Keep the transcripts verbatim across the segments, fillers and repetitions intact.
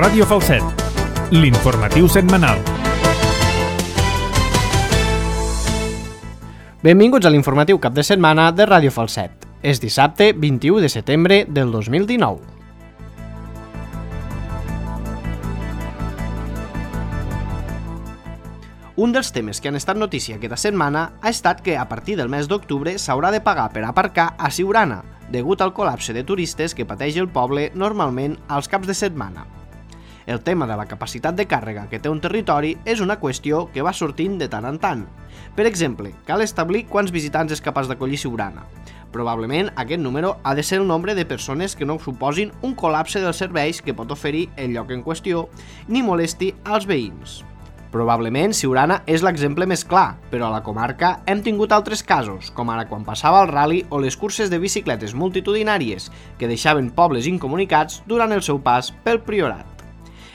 Ràdio Falset, l'informatiu setmanal. Benvinguts a l'informatiu cap de setmana de Ràdio Falset. És dissabte vint-i-u de setembre del dos mil dinou. Un dels temes que han estat notícia aquesta setmana ha estat que a partir del mes d'octubre s'haurà de pagar per aparcar a Siurana, degut al col·lapse de turistes que pateix el poble normalment als caps de setmana. El tema de la capacitat de càrrega que té un territori és una qüestió que va sortint de tant en tant. Per exemple, cal establir quants visitants és capaç d'acollir Siurana. Probablement aquest número ha de ser el nombre de persones que no suposin un col·lapse dels serveis que pot oferir el lloc en qüestió ni molesti als veïns. Probablement Siurana és l'exemple més clar, però a la comarca hem tingut altres casos, com ara quan passava el ral·li o les curses de bicicletes multitudinàries que deixaven pobles incomunicats durant el seu pas pel Priorat.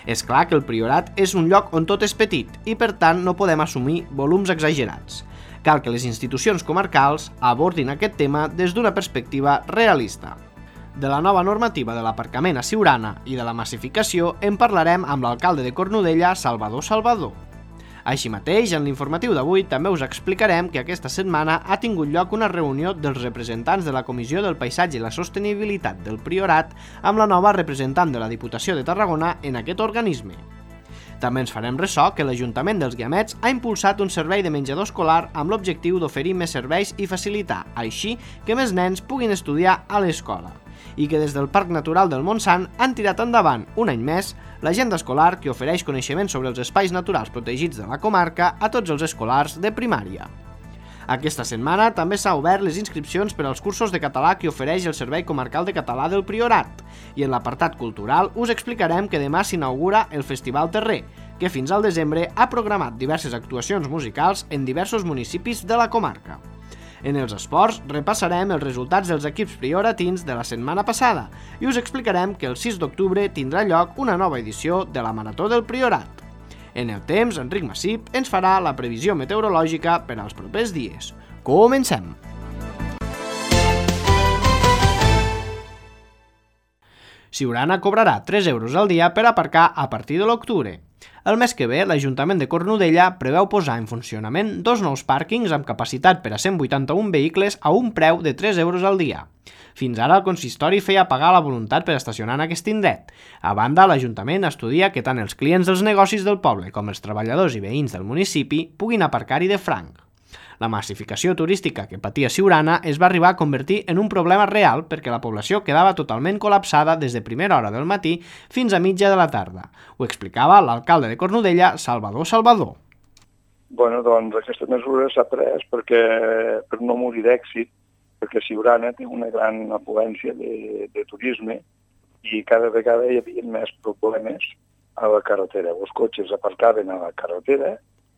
És clar que el Priorat és un lloc on tot és petit i per tant no podem assumir volums exagerats. Cal que les institucions comarcals abordin aquest tema des d'una perspectiva realista. De la nova normativa de l'aparcament a Siurana i de la massificació en parlarem amb l'alcalde de Cornudella, Salvador Salvador. Així mateix, en l'informatiu d'avui també us explicarem que aquesta setmana ha tingut lloc una reunió dels representants de la Comissió del Paisatge i la Sostenibilitat del Priorat amb la nova representant de la Diputació de Tarragona en aquest organisme. També ens farem ressò que l'Ajuntament dels Guiamets ha impulsat un servei de menjador escolar amb l'objectiu d'oferir més serveis i facilitar, així, que més nens puguin estudiar a l'escola, i que des del Parc Natural del Montsant han tirat endavant, un any més, l'agenda escolar que ofereix coneixements sobre els espais naturals protegits de la comarca a tots els escolars de primària. Aquesta setmana també s'ha obert les inscripcions per als cursos de català que ofereix el Servei Comarcal de Català del Priorat, i en l'apartat cultural us explicarem que demà s'inaugura el Festival Terrer, que fins al desembre ha programat diverses actuacions musicals en diversos municipis de la comarca. En els esports repassarem els resultats dels equips prioratins de la setmana passada i us explicarem que el sis d'octubre tindrà lloc una nova edició de la Marató del Priorat. En el temps, Enric Massip ens farà la previsió meteorològica per als propers dies. Comencem! Siurana cobrarà tres euros al dia per aparcar a partir de l'octubre. El mes que ve, l'Ajuntament de Cornudella preveu posar en funcionament dos nous pàrquings amb capacitat per a cent vuitanta-un vehicles a un preu de tres euros al dia. Fins ara el consistori feia pagar la voluntat per estacionar en aquest indret. A banda, l'Ajuntament estudia que tant els clients dels negocis del poble com els treballadors i veïns del municipi puguin aparcar-hi de franc. La massificació turística que patia Siurana es va arribar a convertir en un problema real perquè la població quedava totalment col·lapsada des de primera hora del matí fins a mitja de la tarda. Ho explicava l'alcalde de Cornudella, Salvador Salvador. Bueno, doncs aquesta mesura s'ha pres perquè, per no morir d'èxit, perquè Siurana té una gran afluència de, de turisme i cada vegada hi havia més problemes a la carretera. Els cotxes aparcaven a la carretera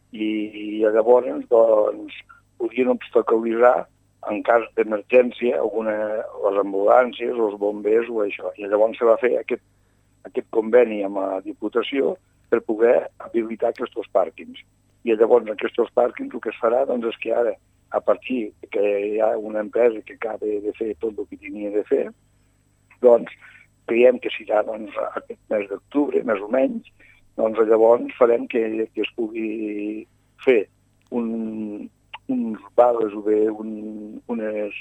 i llavors doncs, podien obstaculitzar en cas d'emergència alguna, les ambulàncies, els bombers o això. I llavors se va fer aquest, aquest conveni amb la Diputació per poder habilitar aquests pàrquings. I llavors aquests pàrquings el que es farà doncs, és que ara, a partir que hi ha una empresa que acaba de fer tot el que tenia de fer, doncs creiem que serà doncs, aquest mes d'octubre, més o menys, doncs llavors farem que, que es pugui fer un, uns vales o bé un, unes...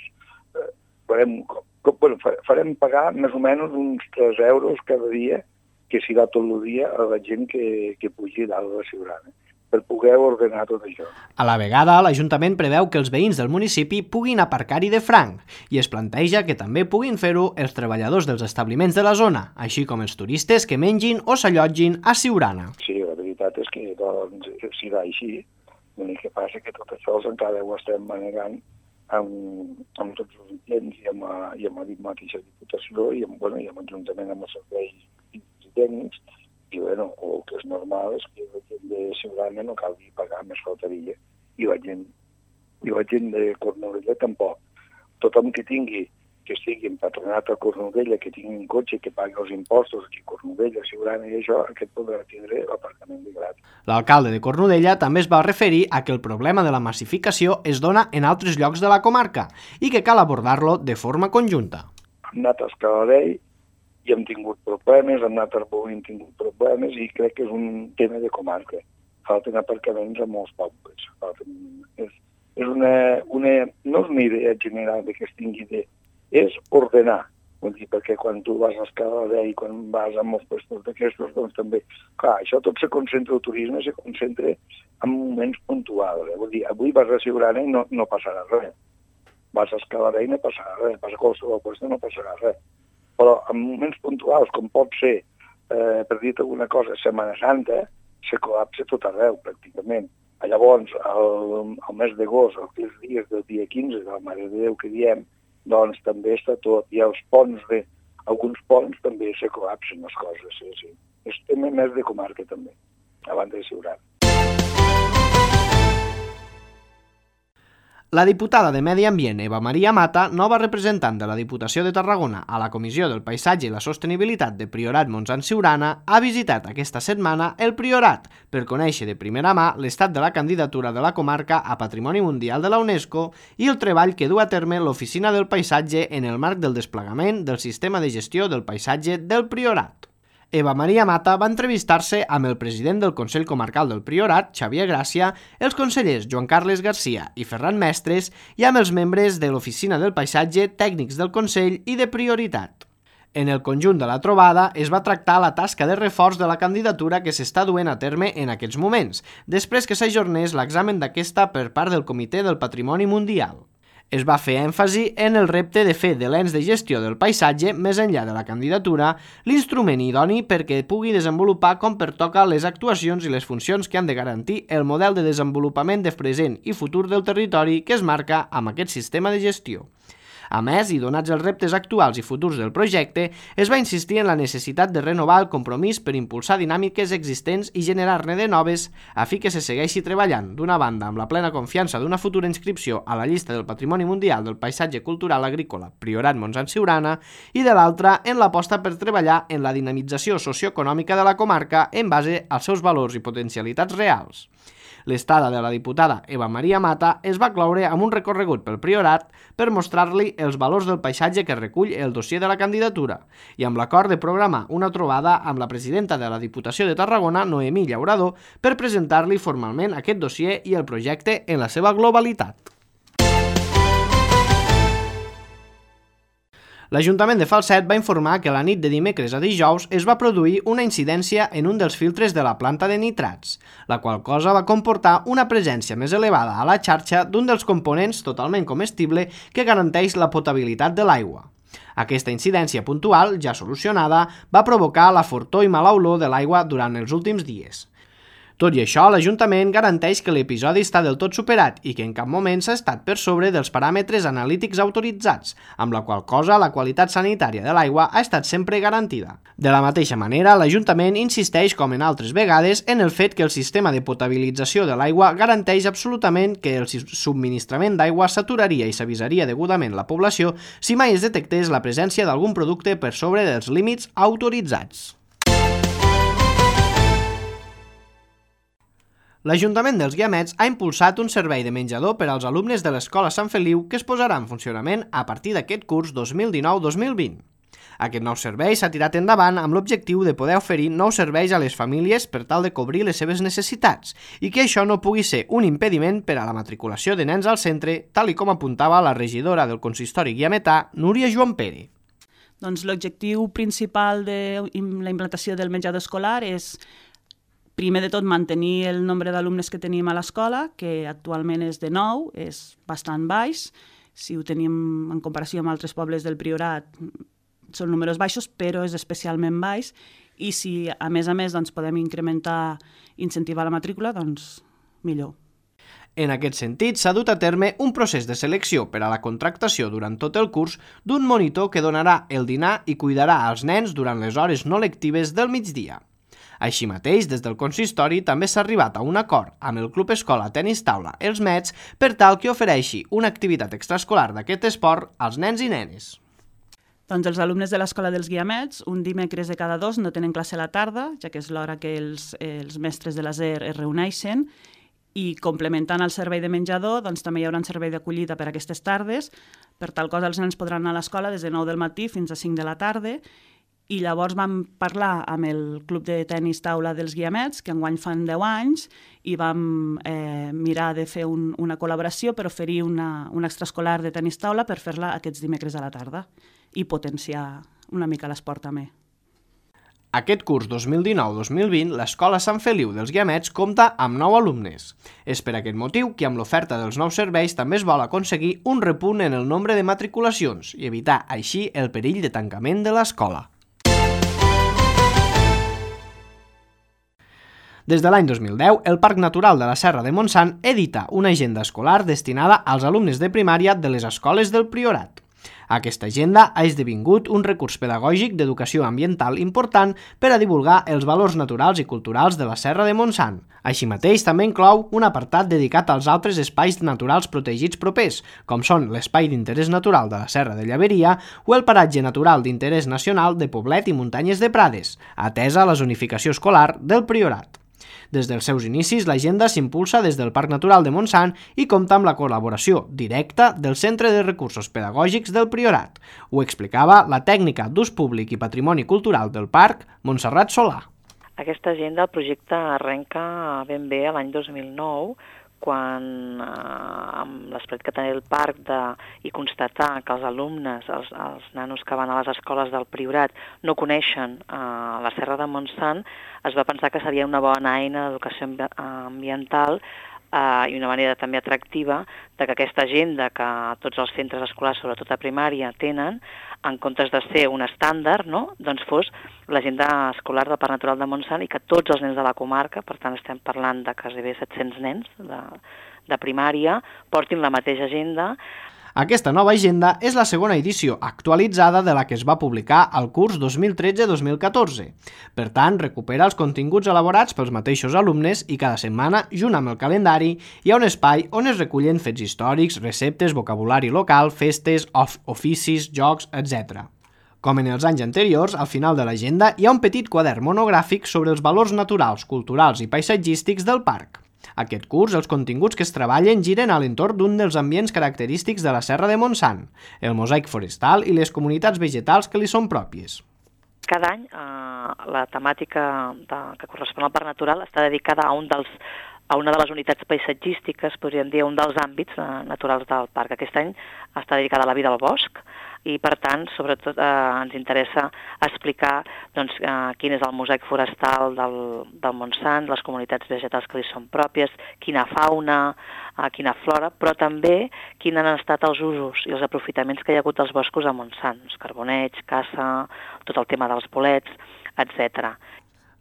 Eh, farem, bueno, farem pagar més o menys uns tres euros cada dia, que serà tot el dia a la gent que, que pugi dalt de la Siurana, per poder ordenar tot això. A la vegada, l'Ajuntament preveu que els veïns del municipi puguin aparcar-hi de franc i es planteja que també puguin fer-ho els treballadors dels establiments de la zona, així com els turistes que mengin o s'allotgin a Siurana. Sí, la veritat és que doncs, serà així. L'únic que passa que tot això encara ho estem manegant amb, amb tots els agents i amb, la, i amb la mateixa Diputació i amb, bueno, i amb l'Ajuntament, amb els serveis tècnics. I bueno, el que és normal és que la gent de Siurana no calgui pagar, més faltaria. I la gent, i la gent de Cornudella tampoc. Tothom que tingui, que estigui empatronat a Cornudella, que tingui un cotxe, que pagui els impostos aquí a Cornudella, Siurana i això, aquest podrà tindre l'aparcament de gratis. L'alcalde de Cornudella també es va referir a que el problema de la massificació es dona en altres llocs de la comarca i que cal abordar-lo de forma conjunta. Hem anat a Escaladell i hem tingut problemes, hem anat a Arbó i hem tingut problemes, i crec que és un tema de comarca. Falten aparcaments a molts pobles. Falten... És, és una, una... No és una idea general de que es tingui de... És ordenar. Vull dir, perquè quan tu vas a Escala i quan vas a molts puestos d'aquestos, doncs també... Clar, això tot se concentra, el turisme se concentra en moments puntuals. Eh? Vull dir, avui vas a Siurana i no, no passarà res. Vas a Escala i no passarà res. Vas a qualsevol puesto no passarà res. Però en moments puntuals, com pot ser, eh, per dir alguna cosa, Setmana Santa, se col·lapsa tot arreu, pràcticament. Llavors, el, el mes d'agost, els dies del dia quinze, de la Mare de Déu que diem, doncs també està tot. I els ponts, de, alguns ponts també se col·lapsen les coses. Sí, sí. És tema més de comarca també, abans de Siurana. La diputada de Medi Ambient, Eva Maria Mata, nova representant de la Diputació de Tarragona a la Comissió del Paisatge i la Sostenibilitat de Priorat Montsant-Siurana, ha visitat aquesta setmana el Priorat per conèixer de primera mà l'estat de la candidatura de la comarca a Patrimoni Mundial de la UNESCO i el treball que du a terme l'Oficina del Paisatge en el marc del desplegament del sistema de gestió del paisatge del Priorat. Eva Maria Mata va entrevistar-se amb el president del Consell Comarcal del Priorat, Xavier Gràcia, els consellers Joan Carles Garcia i Ferran Mestres i amb els membres de l'Oficina del Paisatge, tècnics del Consell i de Prioritat. En el conjunt de la trobada es va tractar la tasca de reforç de la candidatura que s'està duent a terme en aquests moments, després que s'ajornés l'examen d'aquesta per part del Comitè del Patrimoni Mundial. Es va fer èmfasi en el repte de fer de l'ens de gestió del paisatge, més enllà de la candidatura, l'instrument idoni perquè pugui desenvolupar com pertoca les actuacions i les funcions que han de garantir el model de desenvolupament de present i futur del territori que es marca amb aquest sistema de gestió. A més, i donats els reptes actuals i futurs del projecte, es va insistir en la necessitat de renovar el compromís per impulsar dinàmiques existents i generar-ne de noves a fi que se segueixi treballant, d'una banda amb la plena confiança d'una futura inscripció a la llista del Patrimoni Mundial del Paisatge Cultural Agrícola Priorat Montsant-Siurana i de l'altra en l'aposta per treballar en la dinamització socioeconòmica de la comarca en base als seus valors i potencialitats reals. L'estada de la diputada Eva Maria Mata es va cloure amb un recorregut pel Priorat per mostrar-li els valors del paisatge que recull el dossier de la candidatura i amb l'acord de programar una trobada amb la presidenta de la Diputació de Tarragona, Noemí Llaurador, per presentar-li formalment aquest dossier i el projecte en la seva globalitat. L'Ajuntament de Falset va informar que la nit de dimecres a dijous es va produir una incidència en un dels filtres de la planta de nitrats, la qual cosa va comportar una presència més elevada a la xarxa d'un dels components totalment comestible que garanteix la potabilitat de l'aigua. Aquesta incidència puntual, ja solucionada, va provocar la fortor i mala olor de l'aigua durant els últims dies. Tot i això, l'Ajuntament garanteix que l'episodi està del tot superat i que en cap moment s'ha estat per sobre dels paràmetres analítics autoritzats, amb la qual cosa la qualitat sanitària de l'aigua ha estat sempre garantida. De la mateixa manera, l'Ajuntament insisteix, com en altres vegades, en el fet que el sistema de potabilització de l'aigua garanteix absolutament que el subministrament d'aigua s'aturaria i s'avisaria degudament la població si mai es detectés la presència d'algun producte per sobre dels límits autoritzats. L'Ajuntament dels Guiamets ha impulsat un servei de menjador per als alumnes de l'Escola Sant Feliu que es posarà en funcionament a partir d'aquest curs dos mil dinou dos mil vint. Aquest nou servei s'ha tirat endavant amb l'objectiu de poder oferir nous serveis a les famílies per tal de cobrir les seves necessitats i que això no pugui ser un impediment per a la matriculació de nens al centre, tal i com apuntava la regidora del consistori guiametà, Núria Joan Pere. Doncs l'objectiu principal de la implantació del menjador escolar és, primer de tot, mantenir el nombre d'alumnes que tenim a l'escola, que actualment és de nou, és bastant baix. Si ho tenim en comparació amb altres pobles del Priorat, són números baixos, però és especialment baix. I si, a més a més, doncs, podem incrementar, incentivar la matrícula, doncs millor. En aquest sentit, s'ha dut a terme un procés de selecció per a la contractació durant tot el curs d'un monitor que donarà el dinar i cuidarà als nens durant les hores no lectives del migdia. Així mateix, des del consistori també s'ha arribat a un acord amb el Club Escola Tenis Taula Els Mets per tal que ofereixi una activitat extraescolar d'aquest esport als nens i nenes. Doncs els alumnes de l'Escola dels Guiamets, un dimecres de cada dos, no tenen classe a la tarda, ja que és l'hora que els, els mestres de l'A S E R es reuneixen, i complementant el servei de menjador, doncs també hi haurà un servei d'acollida per a aquestes tardes. Per tal cosa, els nens podran anar a l'escola des de nou del matí fins a cinc de la tarda, I llavors vam parlar amb el Club de Tenis Taula dels Guiamets, que enguany fan deu anys, i vam eh, mirar de fer un, una col·laboració per oferir una, un extraescolar de tenis taula per fer-la aquests dimecres a la tarda i potenciar una mica l'esport també. Aquest curs dos mil dinou dos mil vint, l'Escola Sant Feliu dels Guiamets compta amb nou alumnes. És per aquest motiu que amb l'oferta dels nous serveis també es vol aconseguir un repunt en el nombre de matriculacions i evitar així el perill de tancament de l'escola. Des de l'any dos mil deu, el Parc Natural de la Serra de Montsant edita una agenda escolar destinada als alumnes de primària de les escoles del Priorat. Aquesta agenda ha esdevingut un recurs pedagògic d'educació ambiental important per a divulgar els valors naturals i culturals de la Serra de Montsant. Així mateix, també inclou un apartat dedicat als altres espais naturals protegits propers, com són l'Espai d'Interès Natural de la Serra de Llaveria o el Paratge Natural d'Interès Nacional de Poblet i Muntanyes de Prades, atesa la zonificació escolar del Priorat. Des dels seus inicis, l'agenda s'impulsa des del Parc Natural de Montsant i compta amb la col·laboració directa del Centre de Recursos Pedagògics del Priorat. Ho explicava la tècnica d'ús públic i patrimoni cultural del parc, Montserrat Solà. Aquesta agenda, el projecte arrenca ben bé l'any dos mil nou, quan eh, amb l'esperit que tenia el parc de, i constatar que els alumnes, els, els nanos que van a les escoles del Priorat no coneixen eh, la Serra de Montsant, es va pensar que seria una bona eina d'educació ambiental eh, i una manera també atractiva de que aquesta agenda que tots els centres escolars, sobretot a primària, tenen, en comptes de ser un estàndard, no? Doncs fos l'agenda escolar del Parc Natural de Montsant i que tots els nens de la comarca, per tant estem parlant de gairebé set-cents nens de, de primària, portin la mateixa agenda. Aquesta nova agenda és la segona edició actualitzada de la que es va publicar al curs dos mil tretze dos mil catorze. Per tant, recupera els continguts elaborats pels mateixos alumnes i cada setmana, junt amb el calendari, hi ha un espai on es recullen fets històrics, receptes, vocabulari local, festes, of oficis, jocs, etcètera. Com en els anys anteriors, al final de l'agenda hi ha un petit quadern monogràfic sobre els valors naturals, culturals i paisatgístics del parc. Aquest curs, els continguts que es treballen giren a l'entorn d'un dels ambients característics de la Serra de Montsant, el mosaic forestal i les comunitats vegetals que li són pròpies. Cada any eh, la temàtica de, que correspon al Parc Natural està dedicada a un dels a una de les unitats paisatgístiques, podríem dir, un dels àmbits eh, naturals del parc. Aquest any està dedicada a la vida al bosc i, per tant, sobretot eh, ens interessa explicar doncs, eh, quin és el mosaic forestal del, del Montsant, les comunitats vegetals que li són pròpies, quina fauna, eh, quina flora, però també quins han estat els usos i els aprofitaments que hi ha hagut dels boscos a Montsant, els carboneig, caça, tot el tema dels bolets, etcètera.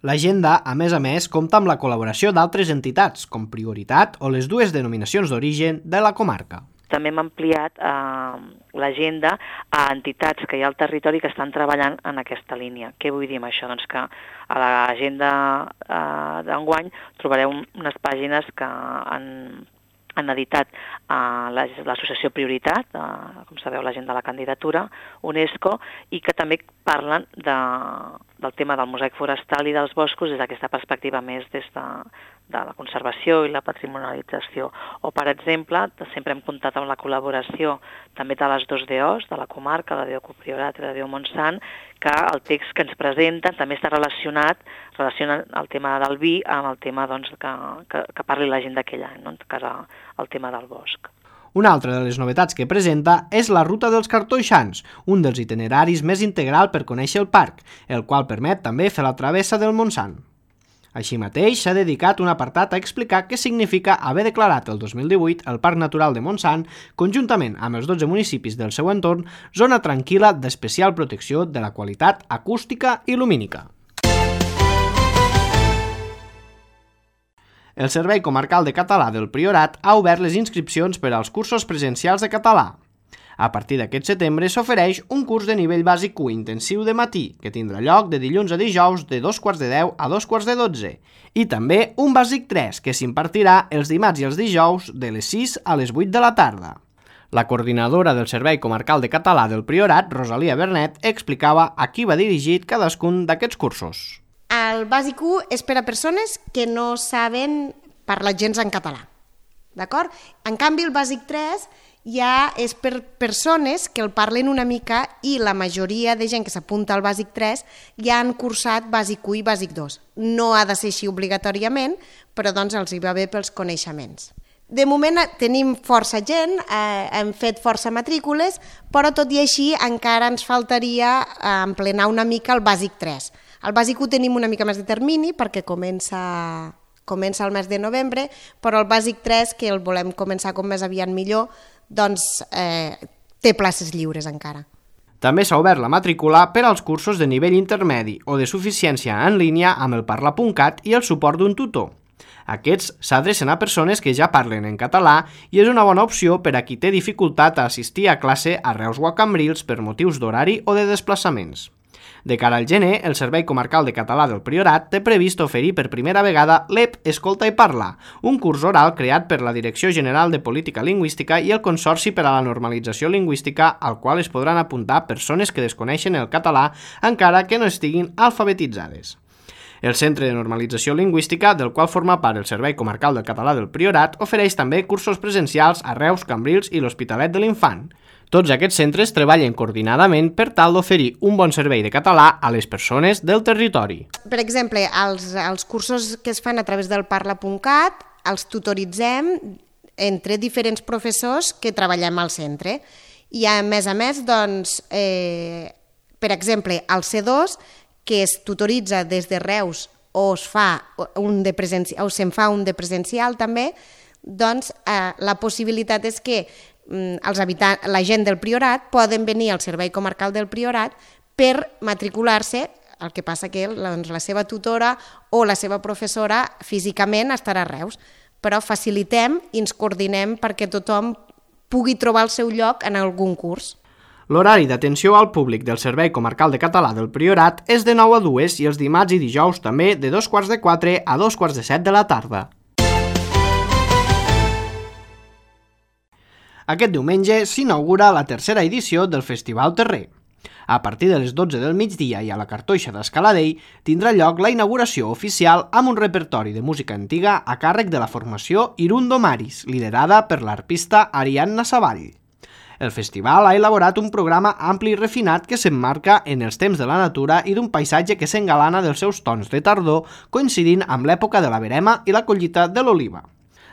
L'agenda, a més a més, compta amb la col·laboració d'altres entitats, com Prioritat o les dues denominacions d'origen de la comarca. També hem ampliat eh, l'agenda a entitats que hi ha al territori que estan treballant en aquesta línia. Què vull dir amb això? Doncs que a l'agenda eh, d'enguany trobareu unes pàgines que han, han editat eh, l'associació Prioritat, eh, com sabeu, l'agenda de la candidatura, UNESCO, i que també parlen de, del tema del mosaic forestal i dels boscos des d'aquesta perspectiva més des de, de la conservació i la patrimonialització. O, per exemple, sempre hem comptat amb la col·laboració també de les dos D Os, de la comarca, la D O Priorat i la D O Montsant, que el text que ens presenten també està relacionat, relaciona el tema del vi amb el tema doncs, que, que, que parli la gent d'aquell any, no? En cas el tema del bosc. Una altra de les novetats que presenta és la Ruta dels Cartoixans, un dels itineraris més integral per conèixer el parc, el qual permet també fer la travessa del Montsant. Així mateix, s'ha dedicat un apartat a explicar què significa haver declarat el dos mil divuit el Parc Natural de Montsant, conjuntament amb els dotze municipis del seu entorn, zona tranquil·la d'especial protecció de la qualitat acústica i lumínica. El Servei Comarcal de Català del Priorat ha obert les inscripcions per als cursos presencials de català. A partir d'aquest setembre s'ofereix un curs de nivell bàsic u intensiu de matí, que tindrà lloc de dilluns a dijous de dos quarts de deu a dos quarts de dotze, i també un bàsic tres, que s'impartirà els dimarts i els dijous de les sis a les vuit de la tarda. La coordinadora del Servei Comarcal de Català del Priorat, Rosalia Bernet, explicava a qui va dirigit cadascun d'aquests cursos. El bàsic u és per a persones que no saben parlar gens en català, d'acord? En canvi, el bàsic tres ja és per persones que el parlen una mica i la majoria de gent que s'apunta al bàsic tres ja han cursat bàsic u i bàsic dos. No ha de ser així obligatòriament, però doncs els hi va bé pels coneixements. De moment tenim força gent, eh, hem fet força matrícules, però tot i així encara ens faltaria emplenar una mica el bàsic tres. El bàsic u tenim una mica més de termini perquè comença, comença el mes de novembre, però el bàsic tres, que el volem començar com més aviat millor, doncs eh, té places lliures encara. També s'ha obert la matrícula per als cursos de nivell intermedi o de suficiència en línia amb el parla punt cat i el suport d'un tutor. Aquests s'adrecen a persones que ja parlen en català i és una bona opció per a qui té dificultat a assistir a classe a Reus o a Cambrils per motius d'horari o de desplaçaments. De cara al gener, el Servei Comarcal de Català del Priorat té previst oferir per primera vegada l'E P Escolta i Parla, un curs oral creat per la Direcció General de Política Lingüística i el Consorci per a la Normalització Lingüística, al qual es podran apuntar persones que desconeixen el català encara que no estiguin alfabetitzades. El Centre de Normalització Lingüística, del qual forma part el Servei Comarcal del Català del Priorat, ofereix també cursos presencials a Reus, Cambrils i l'Hospitalet de l'Infant. Tots aquests centres treballen coordinadament per tal d'oferir un bon servei de català a les persones del territori. Per exemple, els, els cursos que es fan a través del parla punt cat els tutoritzem entre diferents professors que treballem al centre. I a més a més, doncs, eh, per exemple, al C dos, que es tutoritza des de Reus o es fa un de presencial, o se'n fa un de presencial també, doncs eh, la possibilitat és que mm, els habitants, la gent del Priorat poden venir al Servei Comarcal del Priorat per matricular-se, el que passa que doncs, la seva tutora o la seva professora físicament estarà a Reus, però facilitem i ens coordinem perquè tothom pugui trobar el seu lloc en algun curs. L'horari d'atenció al públic del Servei Comarcal de Català del Priorat és de nou a dues i els dimarts i dijous també de dos quarts de quatre a dos quarts de set de la tarda. Aquest diumenge s'inaugura la tercera edició del Festival Terrer. A partir de les dotze del migdia i a la Cartoixa d'Escaladell tindrà lloc la inauguració oficial amb un repertori de música antiga a càrrec de la formació Irundo Maris, liderada per l'arpista Ariadna Savall. El festival ha elaborat un programa ampli i refinat que s'emmarca en els temps de la natura i d'un paisatge que s'engalana dels seus tons de tardor, coincidint amb l'època de la verema i la collita de l'oliva.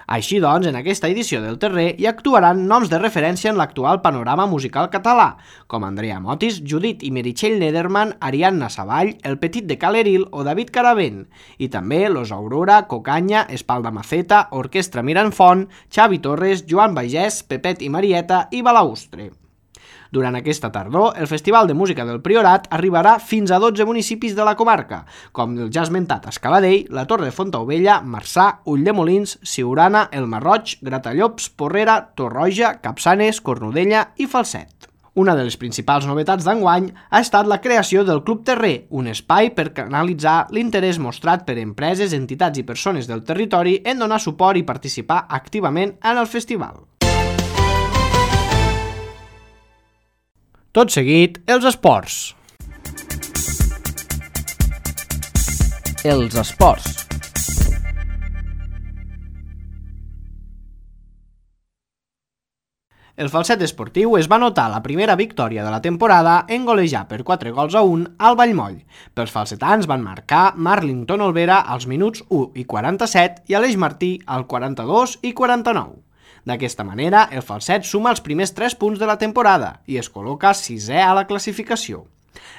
Així doncs, en aquesta edició del Terrer hi actuaran noms de referència en l'actual panorama musical català, com Andrea Motis, Judit i Meritxell Nederman, Ariadna Savall, El Petit de Caleril o David Caravent, i també Los Aurora, Cocanya, Espalda Maceta, Orquestra Miranfont, Xavi Torres, Joan Baigès, Pepet i Marieta i Balaustre. Durant aquesta tardor, el Festival de Música del Priorat arribarà fins a dotze municipis de la comarca, com el ja esmentat Escaladell, la Torre de Fontaubella, Marçà, Ulldemolins, Siurana, el Marroig, Gratallops, Porrera, Torroja, Capçanes, Cornudella i Falset. Una de les principals novetats d'enguany ha estat la creació del Club Terrer, un espai per canalitzar l'interès mostrat per empreses, entitats i persones del territori en donar suport i participar activament en el festival. Tot seguit, els esports. Els esports. El Falset esportiu es va notar la primera victòria de la temporada en golejar per quatre gols a un al Vallmoll. Pels falsetans van marcar Marlington Olvera als minuts u i quaranta-set i Aleix Martí al quaranta-dos i quaranta-nou. D'aquesta manera, el Falset suma els primers tres punts de la temporada i es col·loca sisè a la classificació.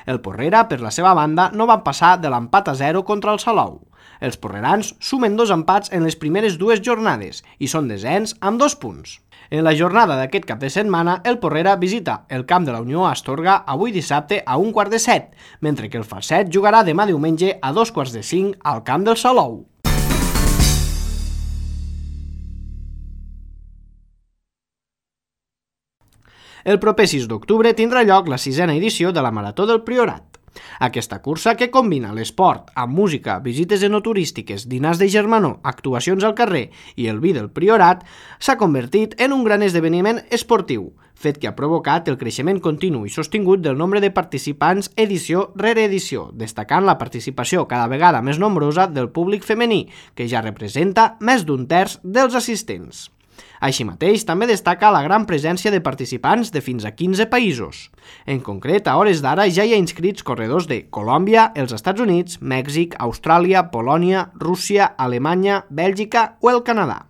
El Porrera, per la seva banda, no van passar de l'empat a zero contra el Salou. Els porrerans sumen dos empats en les primeres dues jornades i són desens amb dos punts. En la jornada d'aquest cap de setmana, el Porrera visita el camp de la Unió a Astorga avui dissabte a un quart de set, mentre que el Falset jugarà demà diumenge a dos quarts de cinc al camp del Salou. El proper sis d'octubre tindrà lloc la sisena edició de la Marató del Priorat. Aquesta cursa, que combina l'esport amb música, visites enoturístiques, dinars de germanor, actuacions al carrer i el vi del Priorat, s'ha convertit en un gran esdeveniment esportiu, fet que ha provocat el creixement continu i sostingut del nombre de participants edició rere edició, destacant la participació cada vegada més nombrosa del públic femení, que ja representa més d'un terç dels assistents. Així mateix, també destaca la gran presència de participants de fins a quinze països. En concret, a hores d'ara ja hi ha inscrits corredors de Colòmbia, els Estats Units, Mèxic, Austràlia, Polònia, Rússia, Alemanya, Bèlgica o el Canadà.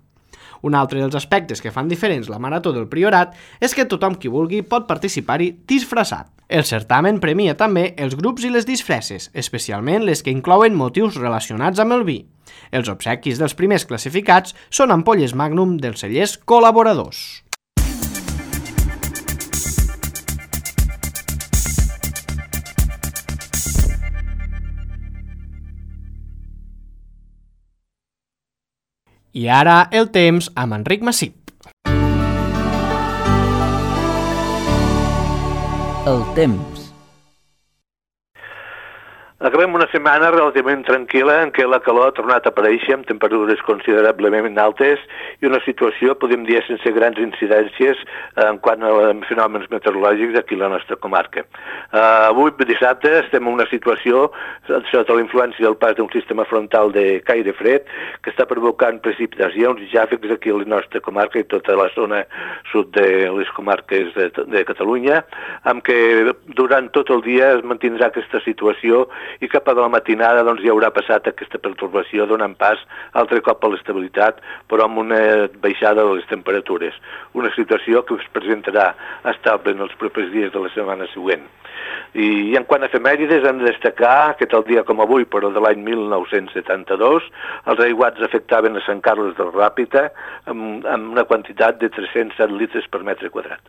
Un altre dels aspectes que fan diferents la Marató del Priorat és que tothom qui vulgui pot participar-hi disfressat. El certamen premia també els grups i les disfresses, especialment les que inclouen motius relacionats amb el vi. Els obsequis dels primers classificats són ampolles Magnum dels cellers col·laboradors. I ara el temps amb Enric Massip. El temps. Acabem una setmana relativament tranquil·la en què la calor ha tornat a aparèixer amb temperatures considerablement altes i una situació, podem dir, sense grans incidències en quant a fenòmens meteorològics aquí a la nostra comarca. Uh, avui, dissabte, estem en una situació sota la influència del pas d'un sistema frontal de caire fred que està provocant precipitacions i xàfecs aquí a la nostra comarca i tota la zona sud de les comarques de, de Catalunya, amb què durant tot el dia es mantindrà aquesta situació i cap a la matinada doncs, ja haurà passat aquesta pertorbació donant pas altre cop a l'estabilitat, però amb una baixada de les temperatures. Una situació que es presentarà estable en els propers dies de la setmana següent. I en quant a efemèrides hem de destacar que tal dia com avui, però de l'any mil nou-cents setanta-dos, els aiguats afectaven a Sant Carles del Ràpita amb, amb una quantitat de tres-cents set litres per metre quadrat.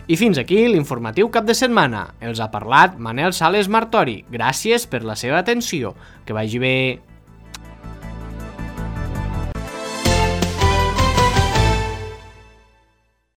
I fins aquí l'informatiu cap de setmana. Els ha parlat Manel Sales Martori. Gràcies per la seva atenció. Que vagi bé.